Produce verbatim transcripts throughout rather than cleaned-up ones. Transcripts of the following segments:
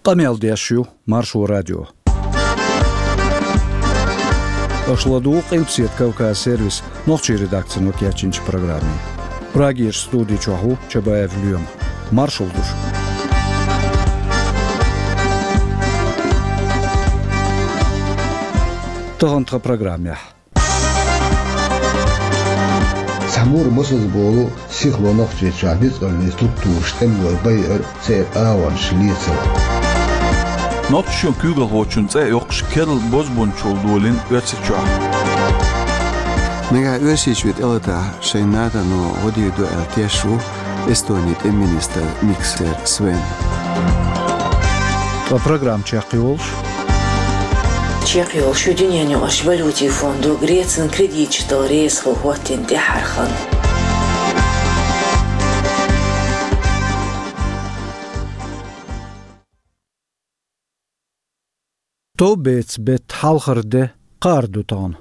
Къамел деш ю Маршо радио. Аша ладугӀу Къилбаседа Кавказ сервисан нохчийн редакцино кечйинчу программе. Прагерчу студи чохь ву Чабаев Лоьма. Маршалла ду шуьга. Тахана тхан программехь. Цхьа мур масаза болу сихло Нохчийчохь ницкъаллин структураш тӀемалой байар, церан агӀонаш лецар. Нохчийчоьнан куьйгалхочун цӀе а йоккхуш, керла бозбунчалла долийна Оьрсийчохь. Нагахь Оьрсийчоь тӀелатахь, шайн НАТО-но гӀо дийр ду аьлла теш ву Эстонин тӀеман министр Миксер Свен. Ткъа программа чекхйолуш. Чекхйолуш ю дуьненаюкъарчу валютийн фондо Грецина кредиташ дала реза хила хӀоттийна тӀаьххьара хан. Товбеца беттан хьалхара де, кхаарда ду тахана.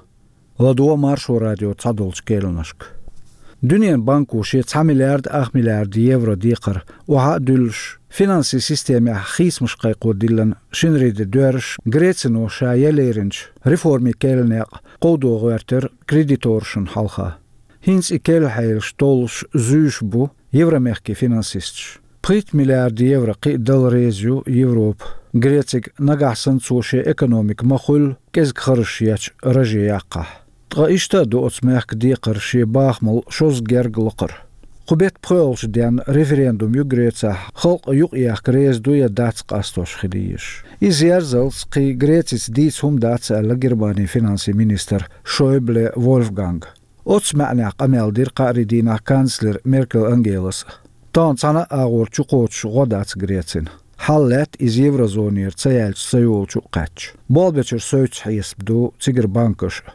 ЛадогӀа Маршо радион цхьадолчу керланашка. Дуьненан банко шен цхьа миллиард ах миллиард евро декхар охьа а дуьллуш, финансийн системехь хийцамаш кхайкхо диллина шинарин де доьрзуш, Грецино ша ял леринчу реформийн керла некъ кховдо гӀоьртира кредиторшна хьалха. ХӀинца и керла хьелаш толлуш зуьйш бу Евромехкан финансисташ. Пхийтта миллиард евро кхин а дала реза ю Европа Грецига, нагахь санна цо шен экономика ма-хуьллу кӀезиг харжаш ечу раже яккхахь. Ткъа иштта а ду оцу мехкан декхар шен бахамал шозза герга лакхара. Кху беттан пхоьалгӀачу денна референдум ю Грецехь, халкъ юкъаехка реза ду я дац къастош хила езаш. Иза ерзалц кхин Грецица дийца хӀума дац, аьлла Германин финансийн министра Шойбле Вольфганга. Оцу маьӀнехь къамел дира кхаарин дийнахь канцлера Меркель Ангелас. Тахана цхьана а агӀор чукхочуш гӀо дац Грецина. Хьал лаьтта иза еврозонера ца яьлча ца йолчу а кхаьчча. Болх бечуьра совцуш хьесап ду цигара банкаш а.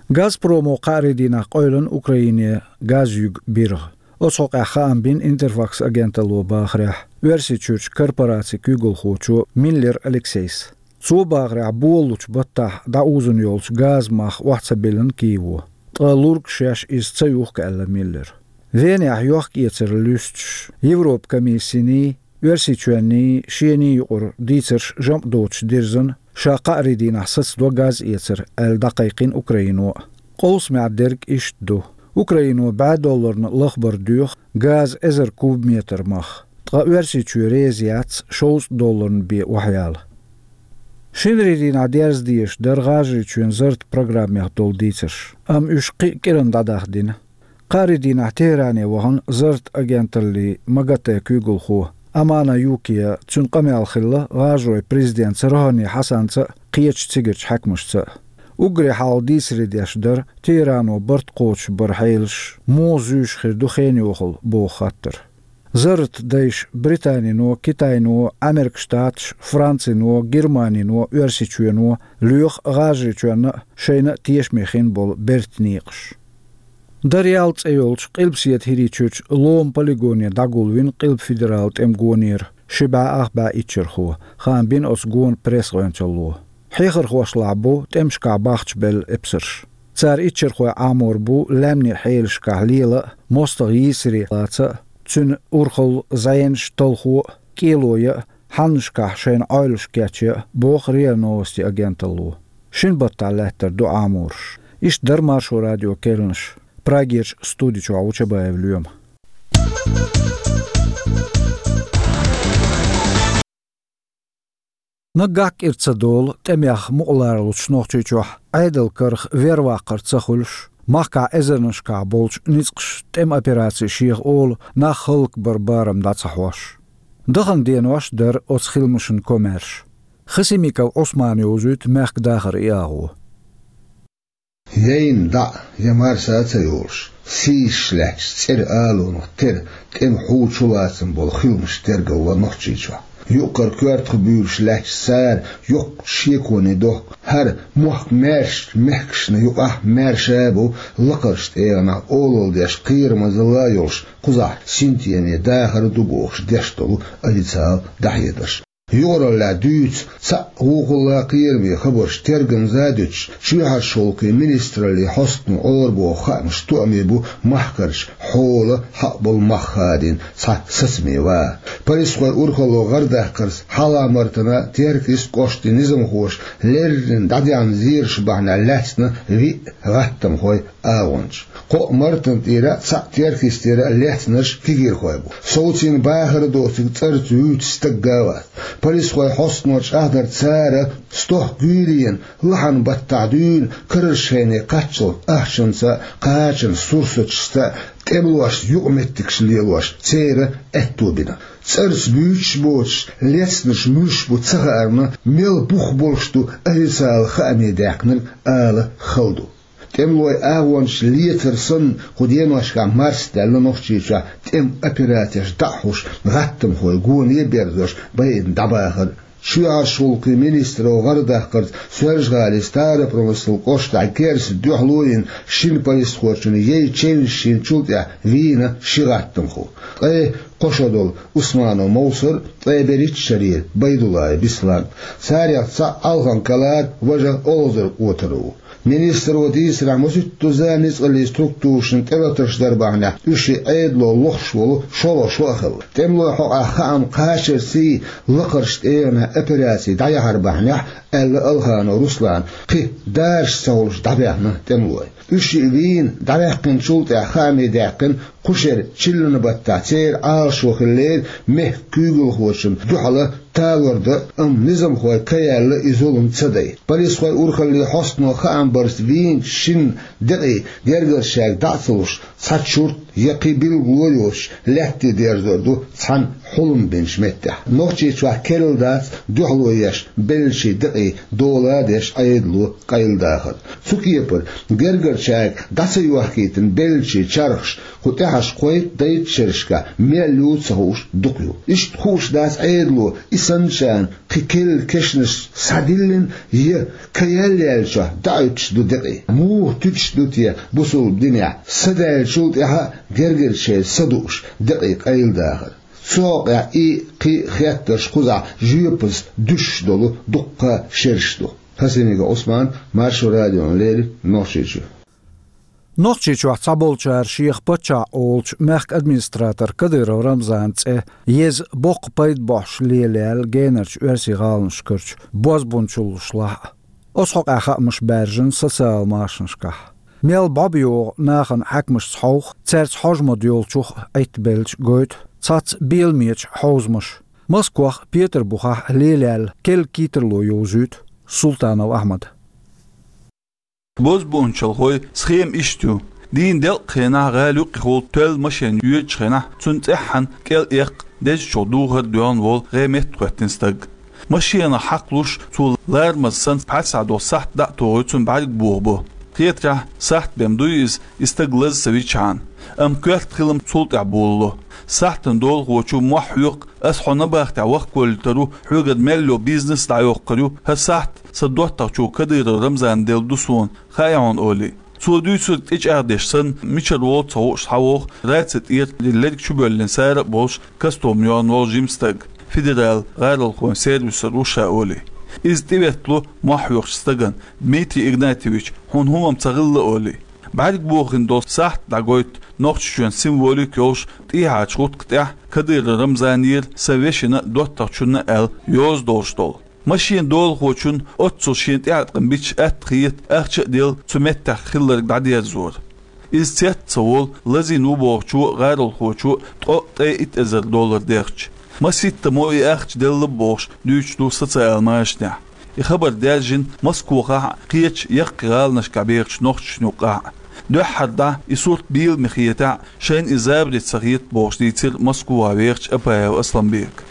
Газпромо кхаарин дийнахь къевлина Украине газ юьгу биргӀа. Оцу хьокъехь хаам бина Интерфакс агенталло бахарехь, Оьрсийчуьрчу корпорацин куьйгалхочо Миллер Алексейс. Цо бахарехь, болалучу баттахь дӀаузун йолчу газан мах охьа ца биллина Киево. Ткъа лург шаьш иза ца юхку, аьлла Миллера. Венехь йохк-эцар луьстуш, Европан комиссиний, Оьрсийчоьнний, шений юкъара дийцарш жамӀ доцуш дирзина, ша кхаарин дийнахь сацадо газ эцар, аьлла дӀакхайкхина Украино. Къовсамехь дерг иштта ду. Украино бӀе долларна лахбар доьху газан эзар кубометр мах. Ткъа Оьрсийчоь реза яц шовзткъа долларна бен охьаяла. Шинарин дийнахь дерза дезаш дара ГӀажарийчоьнан зарратан программех долу дийцарш, амма уьш кхин а кӀиранна дӀадахдина. Кхаарин дийнахь Тегеране вахана зарратан агенталлин МАГАТЭ куьйгалхо Амана Юкия, цуьнан къамел хилла ГӀажаройн президентца Рохани Хьасанца а, кхечу цигарчу хьаькамашца а. Уггаре хьалха дийцаре деш дара Тегерано барт кхочуш баран хьелаш муха зуьйш хир ду хенан йохалла боху хаттар. Зарратан дайша Британино, Китайно, Ӏамеркан Штаташ, Францино, Германино, Оьрсийчоьно лоьху ГӀажарийчоьнна а, шайна а тешаме хин болу бертан некъаш. Дарьял цӀе йолчу Къилбаседа ХӀирийчуьрчу Лома полигоне дӀагулвина Къилба федералан тӀеман гонера ши бӀе ах бӀе иччархо, хаам бина оцу гонан пресс-гӀоьнчалло. Хьехархошлахь бу тӀемашкахь бахчабелла эпсарш. Цара иччархой Ӏамор бу лаьмнийн хьелашкахь лела а, мостагӀа йийсаре лаца а, цуьнан урхалла, зӀенаш, талхо а, кӀело ян а, хьаннашкахь шайна Ӏойлуш кечъян а, боху РИА Новости агенталло. Шина баттахь лаьттар ду Ӏамораш. Иштта дара Маршо радион керланаш. Прагерчу студи чохь ву Чабаев Лоьма. Наггахь кӀира ца долу, тӀемех мукъаларлучу Нохчийчохь Ӏедалан карах верваккхар ца хуьлуш, махкахь эзарнашкахь болчу ницкъаша тӀеман операци шеха олу нах хӀаллакбаран барам дӀа ца хьош. Дахана денош дара оцу хиламашна комаьрша. Хасимиков Ӏусмана йовзуьйту мехкан дахаран и агӀо. Яйна дӀа а, я марса а ца йолуш, сийсаш лаьтташ цӀера алонах тера тӀеман хьу чулацам болу хиламаш тергалло Нохчийчохь. Юккъара коьртах буьйлуш лаьтташ цара йоккхачу шеконе дохку, хӀара мохк маьршачу мехкашна юкъахь маьрша а бу, лакхарчу тӀегӀанахь олалла деш кхерамазалла а йолуш, кхузахь синтеме дахар а ду бохуш деш долу официалан дӀахьедарш. Юкъараллехь дуьйцу цхьаъ вукхулла кхераме хабарш тергамза а дуьтуш, чоьхьарчу гӀуллакхийн министраллин хьостано Ӏорабоху хаамаш тоьъна бу махкарчу хьолан хьакъ болу мах хадийна цхьа сацаме ван. Полисхойн урхалло гӀардаккхарца Хьалха-Мартанан, Теркйист кӀоштан низамхоша леррина дӀадаьхьна зераш бахьанехь лаьцна виъ гӀаттамхойн агӀончаш. Кхоъ Мартанан тӀера а, цхьаъ Теркйистера а лецнарш кегийрхой бу. Совцийна бахар доцург цӀарца вуьйцу стаг а вац. Полисхойн хьостано чӀагӀдарца, цара стохка гуьйренна, лахьанан баттахь дуьйна, карарчу хене кхаччалц ахчанца а, кхачанан сурсаташца а, тӀемалошца юкъаметтигаш лелош, церан аьтто бина. ЦӀарца буьйцуш боцуш лецнарш муьлш бу ца хаарна, мел бух болуш ду официалан хааме даьккхинарг ала хала ду. ТӀемалойн агӀончаш лецар санна, кху деношкахь марсадаьлла Нохчийчохь тӀеман операцеш дӀа а хьош, гӀаттамхой гоне а берзош, байина дӀабахар. Чоьхьарчу гӀуллакхийн министралло гӀардаккхарца Соьлжа-ГӀалин Старопромыслан кӀоштахь керста дуьхьало йина шина полисхочун яй чевнаш йинчул тӀаьхьа вийна ши гӀаттамхо. Ткъе кхо шо долу Усманов Мовсар, ткъе берхӀитта шарера Байдуллаев Беслан. Царех цхьаъ Алхан Калар, важа Олхазар Отар ву. Министралло дийцарехь, маситтаза ницкъаллин структурашна тӀелатарш дар бахьанехь, уьш Ӏедало лохуш волу шолгӀа шо а хилла. ТӀемалойн хьокъехь хаам кхачарций, лакхарчу тӀегӀанехь операци дӀаяхьар бахьанехь, аьлла Алханов Руслана, кхин даржаш ца хуьлуш дӀабаьхна тӀемалой. Уьш вийна дӀаваьккхинчул тӀаьхьа хааме даьккхина кху шеран чиллан баттахь церан Ӏалашо хиллера мехкан куьйгалхочунна дуьхьал талор дан, амма низамхой ка яьлла и зулам ца дайта. Полисхойн урхаллин хьостано хаам барца вийначу шина декъий гергарчаьрга дӀа а ца луш, цхьа чурт я кхин билгало йоцуш, лаьтте дерзор ду цхьана хьулам бинчу меттехь. Нохчийчохь керла дац дуьхьало еш беллачийн декъий дола а деш Ӏедало къайладахар. Цу кепара, гергарчаьрга дӀа ца йохкийтина беллачийн чархаш, кху тӀаьхьарчу кхойтта-дейтта шерашкахь мел ю ца хууш дукха ю. Иштта хууш дац Ӏедало и санначарна кхин керла кешнаш схьадиллина я ка яьлла яьллачохь дӀахӀуьттуш ду декъий. Муха туьтуш ду те бусалба динехь, са даьллачул тӀаьхьа а гергарчеран са дууш декъий къайладахар? Цу хьокъехь и, кхин хеттарш кхузахь жоьпаза дуьсуш долу дуккха а шераш ду. Хасимиков Ӏусман, Маршо радиона леррина, Нохчийчоь. Нохчийчохь цхьаболчара шех паччахь олучу мехкан администратор Кадыров Рамзанан цӀе еза, боккха пайда бохьуш лелаяьлла генарчу оьрсийн гӀаланашкарчу бозбунчаллаш лахь а. Оцу хьокъехь хаамаш баьржина социалан машанашкахь. Мел бӀо бан йогӀу нахана хьаькамашца хьовха, цаьрца хьожа ма-доьллачух Ӏиттабелча гойту цхьацца беламечу хьовзамаша. Москвахь а, Петарбухехь а лелаяьлла керла кийртарло йовзуьйту Султанов Ахьмада. Бозбунчалхойн схема иштта ю. Дийнан делкъа хенахь гӀала юккъехула тоьлла машен йоьдучу хенахь, цунна цӀеххьана кӀел эккха дезачух духар а доьгӀна волу гӀеметтахӀоьттина стаг. Машенах хьакхалуш, цо ларамаза санна пхьарсахь долу сахьт дӀа а тухий, цунна бӀаьрг бохабо. Хетарехь, сахьт бен буй иза, и стаг лаза ца вичхьана. Амма коьрта хилам цул тӀаьхьа болало. Сахьтана долахочо мохь хьоькху: «Ас хьо набахтехь вахкавалийта ву, хьоьгара мел йолу бизнес а дӀайоккхур ю. ХӀара сахьт сан доттагӀчо Кадыров Рамзана делла ду суна, хаьий хьуна?» — олий. Цо дуьйцург тӀечӀагӀдеш санна, мичара волу ца хууш схьавогӀу раци тӀера лерг чубоьллина сара а болуш, костюм йохна волу жима стаг. Федералан гӀаролхойн сервисера ву ша, олий. Иза тӀеветтало мохь хьоькхучу стагана: «Дмитрий Игнатьевич, хьуна хӀумма ца хилла», — олий. БӀаьрг бохийна долу сахьт дӀагойту Нохчийчоьнан символика йолуш, тӀехьарчу гӀутакх тӀехь Кадыров Рамзанера, сан вешина а, доттагӀчунна а аьлла, йоза долуш долу. Машенан долахочунна оццул шена тӀеӀаткъам бича атта хета ахча а делла цу меттехь хилларг дӀадерзор. Иза цец а ца волу, лазийна ву бохучо а, гӀаролхочо а ткъо а, ткъе итт эзар доллар дехча. Маситтаза и ахча делла бохуш дуьйцуш ду социалан машанехь. И хабар даьржина Москвахь а, кхечу яккхий гӀаланашкахь бехачу нохчашна юккъехь а. Дуьххьара дӀа и сурт бийламе хетахь а, шайна и забаре ца хета бохуш дийцира Москвахь вехачу Апаев Асламбека.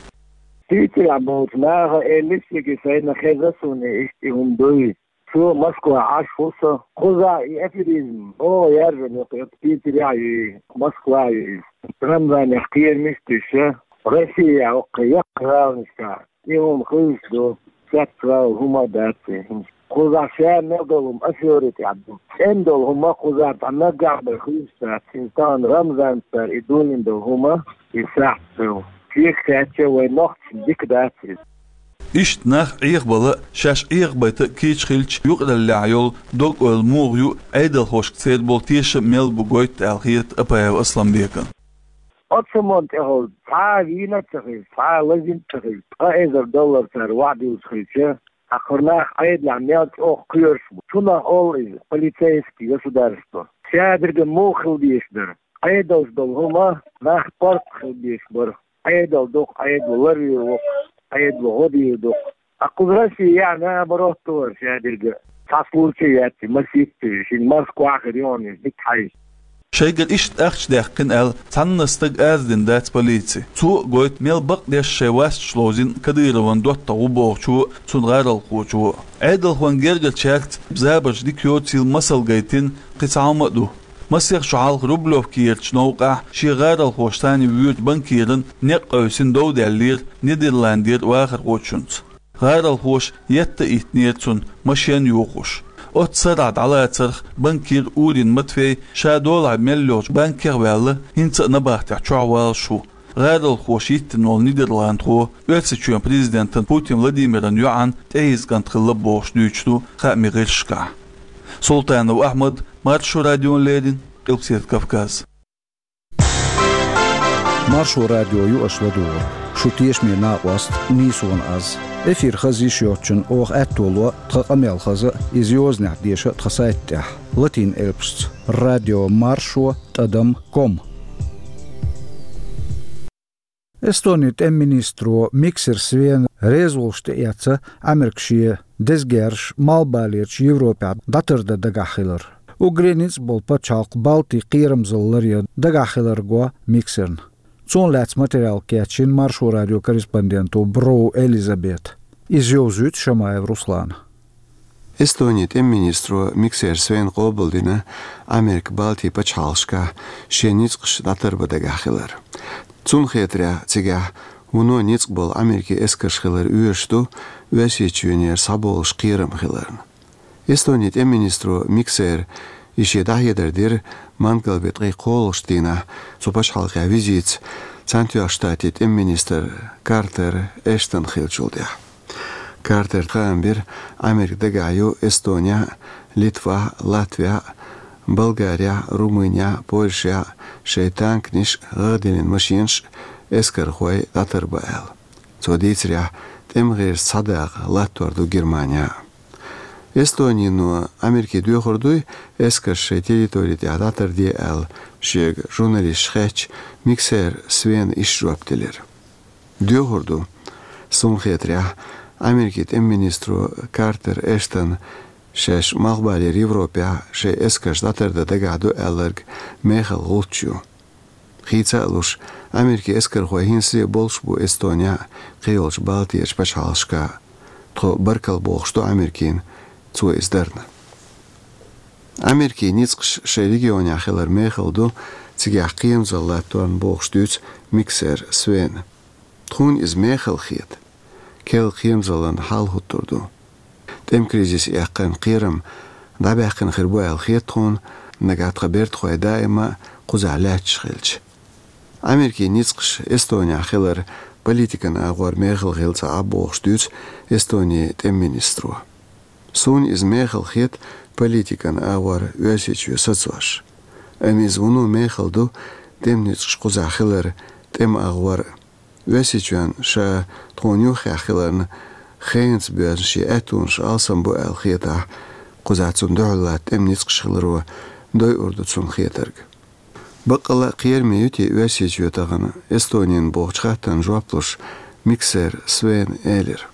Питерехь болчу наха элира шега, шайна хезна суна иштта и хӀума дуй. Цо Москвахь Ӏаш ву со. Кхузахь и аферизм оха яржам ю, кху Питерехь а ю иза, Москвахь а ю иза. Рамзанех кхерамаш а туьйсуш, Россехь а, кху яккхий гӀаланашкахь а и хӀума хуьлуш ду, цецвала хӀума а дац и. Кхузахь ша мел долу хӀума афери тӀехь ду. ЦӀена долу хӀума кхузахь дӀа наггахь бен хуьлуш дац. Иза тахана Рамзанца цара и дуьйна долу хӀума, и сахьт ду. Шега хаьттича, вайн нохчашна дика дац иза. Иштта нах Ӏехабала а, шаьш Ӏехабайта а кийча хилча, юкъараллехь йолу дог-ойла муха ю, Ӏедалхошка церан болу тешам мел бу гойту аьлла хета Апаев Асланбекана. Оцу хӀуманна тӀехула цхьа а вийна а ца хилча, цхьа а лазийна а ца хилча, ткъа эзар доллар цара ваӀда юьллуш хилча, хӀокху нах Ӏедалехь мел чӀогӀа кхоьруш бу. Цунах олу иза полицейский государство. Шадерг муха хила дезаш дара? Ӏедалш долу хӀума нах паргӀат хила дезаш бара. Ӏедал доккху, Ӏедало ларвийр ву, Ӏедало гӀо дийр ду. Ткъа кхуза Россия яа наоборот вара шадерг. Цхьа случай яц, масийтта шина Москва хир йогӀу иза дика хьаьжча. Шайгара иштта ахча даьккхина аьлла, цхьанна стага арадина дац полици. Цо а гойту, мел бакъдеш шайн васташ ловзийна Кадыровн доттагӀа ву бохучо а, цуьнан гӀаролхочо а. Ӏедалхойн гергарчаьрца забарш дика йоцийла масал гайтина кхин цхьа хӀума а ду. Масех шо хьалха Рублевкерчу новкъахь шен гӀаролхоша санна воьдучу банкиран некъ къевсина дов даьллера Нидерландера вахархочуьнца. ГӀаролхоша етта а йиттинера цунна, машен а йохош. Оццу сарахь дӀалацарх банкир Урин Матвей ша долахь мел йолчу банкех а ваьлла, хӀинца а набахтехь чохь валлалц ву. ГӀаролхоша йиттина волу нидерландхо Оьрсийчоьнан президентан Путин Владимиран йоӀан тӀеэцна кӀант хилла бохуш дуьйцуш ду хаамийн гӀирсашкахь. Султанов Ахьмад, Маршо радиона леррина, Къилбаседа Кавказ. Маршо радио ю аша ладугӀург. Шун тешаме накъост нийсонан аз. Эфир хаза йиш йоцучунна оха аьтто ло тхан къамел хаза а, иза йозанехь деша а тхан сайта тӀехь, латин элпашца: радио маршо тӀадам ком. Эстонин тӀеман министро Миксер Свена реза волуш тӀеэцна Ӏамерка шен деза герзаш Малхбалерчу Европехь дӀатардан дагахь хилар. Уггаре ницкъ болу пачхьалкх Балтин кхерамзалла ларъян дагахь хилар го Миксерна. Цунах лаьцна материал кечйина Маршо радион корреспонденто Броу Элизабета. Иза йовзуьйту Шамаев Руслана. Эстонин тӀеман министро Миксер Свена къобалдина Ӏамерка Балтин пачхьалкхашкахь шен ницкъаш дӀатарбан дагахь хилар. Цунна хетарехь, цигахь вуно ницкъ болу Ӏамеркин эскарш хилар оьшуш ду Оьрсийчоьнера схьаболуш кхерам хиларна. Эстонин тӀеман министро Миксера и шен дӀахьедар дира мангалбетта ткъе кхоалгӀачу дийнахь цу пачхьалкхехь визитца Цхьаьнатоьхначу Штатийн тӀеман министр Картер Эштон хиллачул тӀаьхьа. Картера хаам бира, Ӏамерка дагахь ю Эстонехь а, Литвахь а, Латвехь а, Болгарехь а, Румынехь а, Польшехь а шайн танканаш а, гӀагӀ диллина машенаш а, эскархой дӀатарбан аьлла. Цо дийцарехь, тӀеман гӀирс цхьа дакъа латтор ду Германехь а. Эстонино Америке доьхур дуй, эскарш шайн территори тӀехь дӀатарде аьлла, шега журналисташа хаьттича, Миксер Свена иштта жоп делира: «Доьхур ду. Суна хетарехь, Америкин тӀеман министро Картер Эштон шаьш Малхбалера Европехь шайн эскарш дӀатардан дагахь ду аьлларг мехала гӀулч ю. Хийца а луш, Америкин эскархой хӀинцале болуш бу Эстонехь а, кхийолчу Балтерчу пачхьалкхашкахь а. Тхо баркалла бохуш ду Америкина цо иза дарна». Америкин ницкъаш шайн регионехь хилар мехала ду, цигахь кхерамзалла латторна бохуш дуьйцу Миксер Свена. «Тхуна иза мехала хета. Керла кхерамзаллина хьал хӀуттур ду. ТӀеман кризис эккхина кхерам дӀабаьккхина хир бу аьлла хета тхуна, нагахь тхан бертахой даима а кхузахь лаьтташ хилча». Америкин ницкъаш Эстонехь хилар политикан агӀор мехала хилла ца Ӏа бохуш дуьйцу Эстонин тӀеман министро. «Суна иза мехала хета политикан агӀор Оьрсийчоь сацош. Амма иза вуно мехала ду тӀеман ницкъаш кхузахь хилар тӀеман агӀор а. Оьрсийчоьнна ша тхуна юххехь хиларна, хенаца боьзна шен аьттонаш алсам бу аьлла хетахь, кхузахь цунна дуьхьал латта тӀеман ницкъаш хиларо дойур ду цунна хетарг. Баккъалла а кхераме ю те Оьрсийчоь тахана Эстонина?» бохучу хаттарна жоп луш, Миксер Свена элира: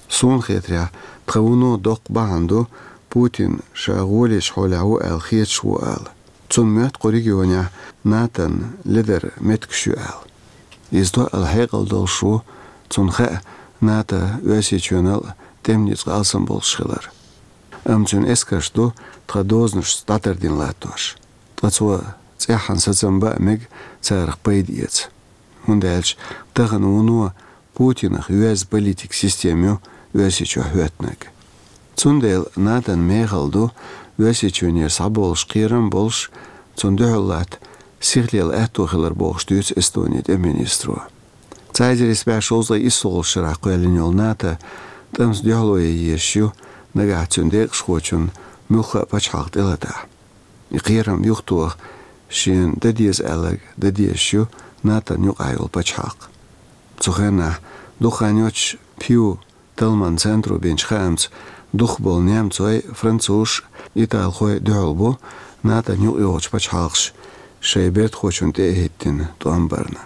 «Суна хетарехь, тхан вуно доккха бахьана ду Путин ша гӀолечу хьолехь ву аьлла хеташ ву ала. Цунна моьтту кху регионехь НАТОн ледара меттигаш ю аьлла. Иза тоъал хьекъал долуш ву, цунна хаьа НАТО Оьрсийчоьнал а тӀеман ницкъ алсам болуш хилар. Амма цуьнан эскарш ду тхан дозанашца дӀатардина латтош. Ткъа цо цӀеххьана сацам бан а мега царах пайда эца. ХӀунда аьлча тахана вуно Путинах йоьзна политикан система ю Оьрсийчохь хӀоьттинарг. Цундела НАТОн мехала ду Оьрсийчоьнера схьаболуш кхерам а болуш, цунна дуьхьал латта сихлела аьтто хилар», бохуш дуьйцу Эстонин тӀеман министро. Цхьа эзар исс бӀе шовзткъе исс шарахь кхоьллина йолу НАТО тӀамца дуьхьало ян езаш ю, нагахь цуьнан декъашхочунна муьлхха а пачхьалкх тӀелатахь. И кхерам юхатоха шена дан деза аьлларг дан дезаш ю НАТО-н юкъахь йолу пачхьалкх. Цу хенахь дукха хан йоццуш Пью Талманан центро бинчу хаамца, дукхахболу немцой, французаш, италхой дуьхьал бу НАТО-н юкъайогӀучу пачхьалкхаша шайн бертахочунна тӀе а хӀиттина тӀом барна.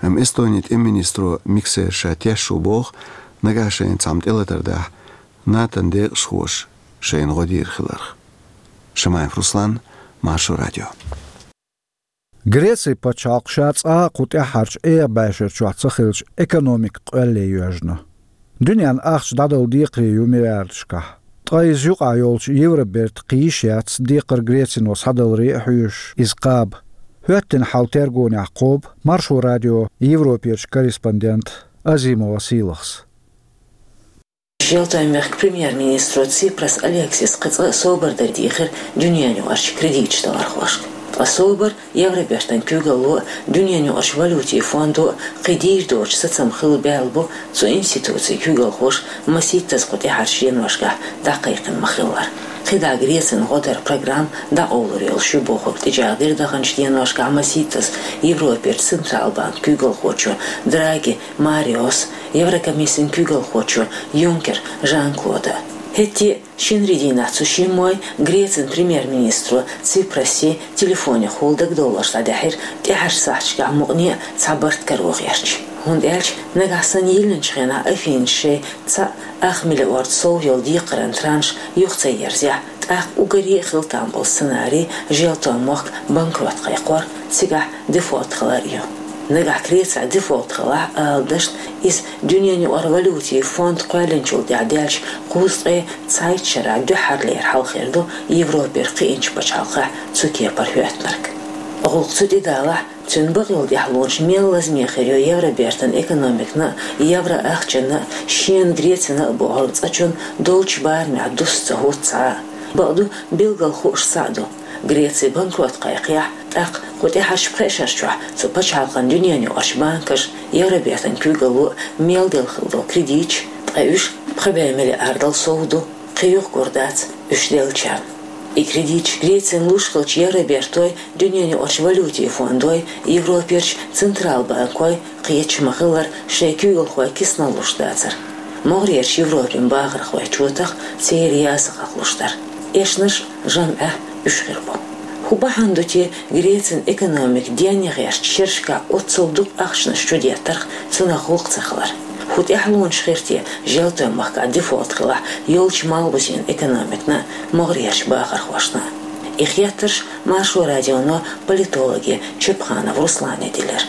Амма Эстонин тӀеман министро Миксер ша теш ву боху, нагахь шайна цхьамма тӀелатар дахь, НАТО-н декъашхоша шайна гӀо дийр хиларх. Шамаев Руслан, Маршо радио. Грецин пачхьалкх ша цкъа а кху тӀаьххьарчу эха бӀешарчохь ца хилча, экономика къоьлле йоьжна. Дуьненна ахча дӀадала декхаре ю миллиардашкахь. Ткъа иза юкъахь йолчу евроберта кхийш яц, декхар Грецино схьадаларе а хьоьжуш, иза кхаба. ХӀоьттина хьал тергонехь кхобу Маршо радион Европерчу корреспондента Азимова Сийлахьс. Желтойн мехкан премьер-министро Ципрас Алексис кхин цкъа а собар дар дийхира дуьненаюкъарчу кредиташ далархошка. Ткъа собар, Евробертан куьйгалло а, дуьненаюкъарчу валютийн фондо а кхин дийр доцу сацам хила баьлла бу цу институцийн куьйгалхоша масийттаза кху тӀаьхьарчу деношкахь дӀакхайкхина ма-хиллара. КхидӀа Грецин гӀо даран программа дӀакъовлур йолуш ю бохург тӀечӀагӀдира даханчу деношкахь масийттаза Европерчу Централбанкан куьйгалхочо Драги Мариос, Еврокомиссин куьйгалхочо Юнкер Жан-Клода. ХӀетте а, шинарин дийнахь цу шиммой Грецин премьер-министро Ципрасе телефонехула дагадовларш дӀадаьхьира тӀаьхьарчу сахьташкахь мукъане а цхьа барт каро гӀерташ. ХӀунда аьлча нагахь санна йиллинчу хенахь Афинаша шайн цхьаъ ах миллиард сов йолу декхаран транш юха ца ерзахь, тӀаккха уггаре а хила там болу сценарий желтойн мохк банкрот кхайкхор, цигахь дефолт хилар а ю. Нагахь Грецехь дефолт хилахь, ала дашна, иза дуьненаюкъара валютийн фонд кхоьллинчул тӀаьхьа даьллачу кхузткъе цхьайтта шарахь дуьххьарлера хьал хир ду Европера кхиъначу пачхьалкхехь цу кепара хӀоьттинарг. ГӀуллакх цу тӀе далахь, цуьнан бакъйолу тӀаьхьалонаш мел лазаме хир ю Евробертан экономикана а, евро ахчанна а, шена Грецина а бохург цкъачунна долчу барамехь дуста ца хӀутту цхьа а. Бакъду, билггал хууш цхьаъ ду: Греци банкрот кхайкхахь, тӀаккха кху тӀаьхьарчу пхеа шарчохь цу пачхьалкхан дуьненаюкъарчу банкаша Евробертан куьйгалло а мел делла хилла долу кредиташ, ткъа уьш пхи бӀе миллиардал сов ду, кхин юха гур дац уьш деллачарна. И кредиташ Грецина луш хилча, Евробертой, дуьненаюкъарчу валютийн фондой, Европерчу Централбанкой кхеташ ма-хиллара шайн куьйгалхой кисанал луш дацара. МогӀарерчу Европин бахархой чотах, церан ясагӀах луш дара. Эшнаш а, жамӀаш а уьш хир бу. ХӀун бахьана ду те Грецин экономика денна гӀертачу шерашкахь оццул дукха ахчанаш чудеттарх, цунах гӀуллакх ца хилар? ХӀун тӀаьхьалонаш хир те желтойн махкахь дефолт хилахь йолчу малхбузен экономикана а, могӀарерчу бахархошна а? И хеттарш Маршо радионо политологе Чепханов Руслане делира.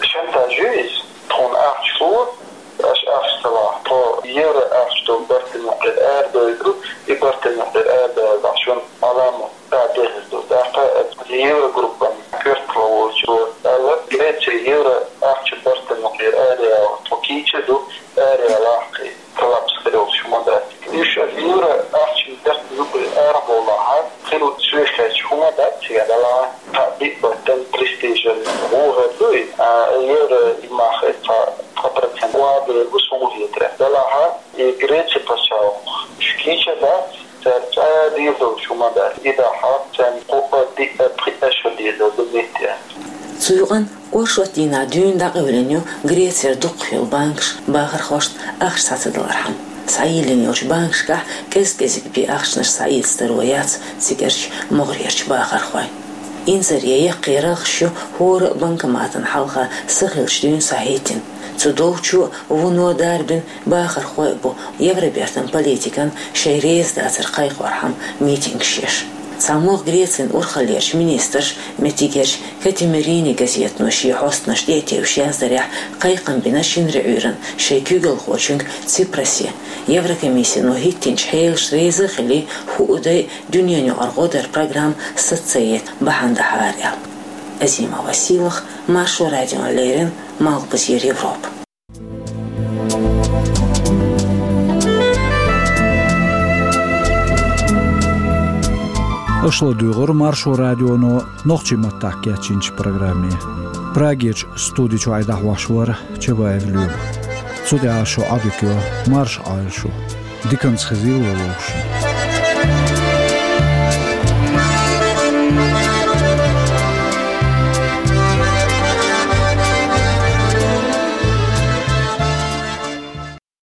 Шантаж ю иза, тхуна ахча ло, аша ахча ца лахь, тхо евро ахча долу бартан юкъера арадойду, и бартан юкъера арадоьллехь шуна Ӏаламат дӀа дехар ду. ТӀаккха Еврогруппан коьртало волчо аьлла, Греция евро ахча бартан юкъера араяла тхо кийча ду, араяла кхин коллапс хир йолуш хӀума дац. Уьш аса евро ахча бартан юкъера арабовлахь, хир соьшкхетча хӀума дац, цигахь далахь, цхьа биъ бартан престижан гӀо хир ду и, а евро и мах цхьа, цхьа процент вабер бу суна хетарехь. Далахь и Греци пачхьалкх уьш кийча дац, цара цкъа а дийр долуш хӀума дац. И дахьа царна кху а диъ а пхиъ а шо дийр долу ду метте. Цу юкъана оршот дийнахь дуьйна дӀакъевлина ю Грецера дукхах йолу банкаш бахархошна ахча схьа ца далархьама. Схьайиллина йолчу банкашкахь кӀез-кӀезиг бен ахчанаш схьаэцадаро яц цигарчу могӀарерчу бахархойн. Инзаре яккхий рагӀаш ю хӀора а банкоматан хьалха са хиллачу дуьйна схьахӀиттина. Цу долчо а, вуно а дарбина бахархой а бу Евробертан политикана шайн реза дацар кхайкхорхьама митингаш еш. ЦхьамогӀа Грецин урхаллерчу министраш, меттигерчу «Катимерини» газетано шен хьостанаш тӀе а тевжаш яздарехь, кхайкхам бина шинарин Ӏуьйранна шайн куьйгалхочуьнга Ципрасе, Еврокомиссино хӀиттинчу хьелашна реза а хилий, хӀуъу дай дуьненаюкъара гӀо даран программа саца ца яйта бахьана дахьара аьлла. Азимова Сийлахь, Маршо радиона леррина, Малхбузера Европа. Аша ладугӀура Маршо радионо нохчийн маттахь кечйинчу программе. Прагерчу студи чохь и дӀахьош вара Чабаев Лоьма. Цу тӀехь шу Ӏадика йо, марша Ӏойла шу. Диканца хезийла вай вовшашна.